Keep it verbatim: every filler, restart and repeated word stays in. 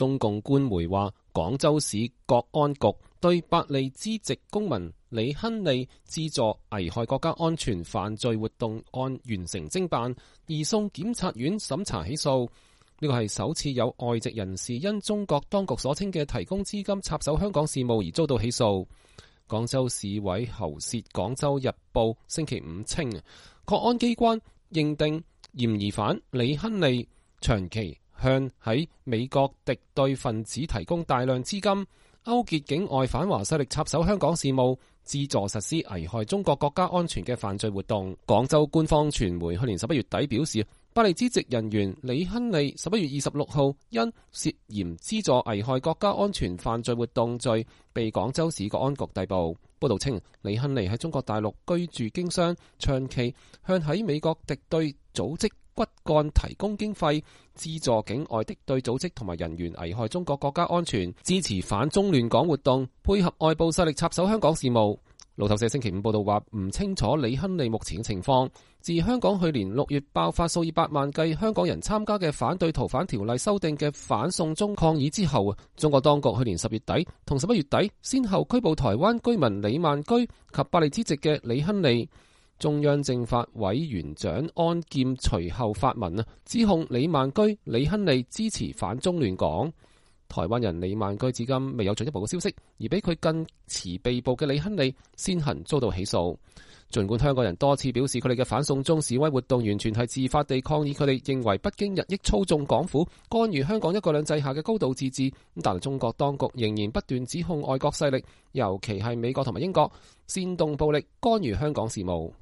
中共官媒話，廣州市國安局對百利之籍公民李亨利資助危害國家安全犯罪活動案完成偵辦，移送檢察院審查起訴。呢個係首次有外籍人士因中國當局所稱嘅提供資金插手香港事務而遭到起訴。廣州市委喉舌《廣州日報》星期五稱，國安機關認定嫌疑犯李亨利長期向喺美國敵對分子提供大量資金，勾結境外反華勢力插手香港事務，資助實施危害中國國家安全嘅犯罪活動。廣州官方傳媒去年十一月底表示，百利之籍人員李亨利十一月二十六號因涉嫌資助危害國家安全犯罪活動罪被廣州市國安局逮捕。報道稱，李亨利喺中國大陸居住經商，長期向喺美國敵對組織骨幹提供經費，資助境外敵對組織同埋人員危害中國國家安全，支持反中亂港活動，配合外部勢力插手香港事務。路透社星期五報道話，唔清楚李亨利目前嘅情況。自香港去年六月爆發數以百萬計香港人參加嘅反對逃犯條例修訂嘅反送中抗議之後，中國當局去年十月底同十一月底先後拘捕台灣居民李萬居及百利之籍嘅李亨利。中央政法委員長安劍隨後發文啊，指控李萬居、李亨利支持反中亂港。台灣人李萬居至今未有進一步嘅消息，而比佢更遲被捕嘅李亨利先行遭到起訴。儘管香港人多次表示佢哋嘅反送中示威活動完全係自發地抗議，佢哋認為北京日益操縱港府，干預香港一國兩制下嘅高度自治，但係中國當局仍然不斷指控外國勢力，尤其係美國同埋英國煽動暴力干預香港事務。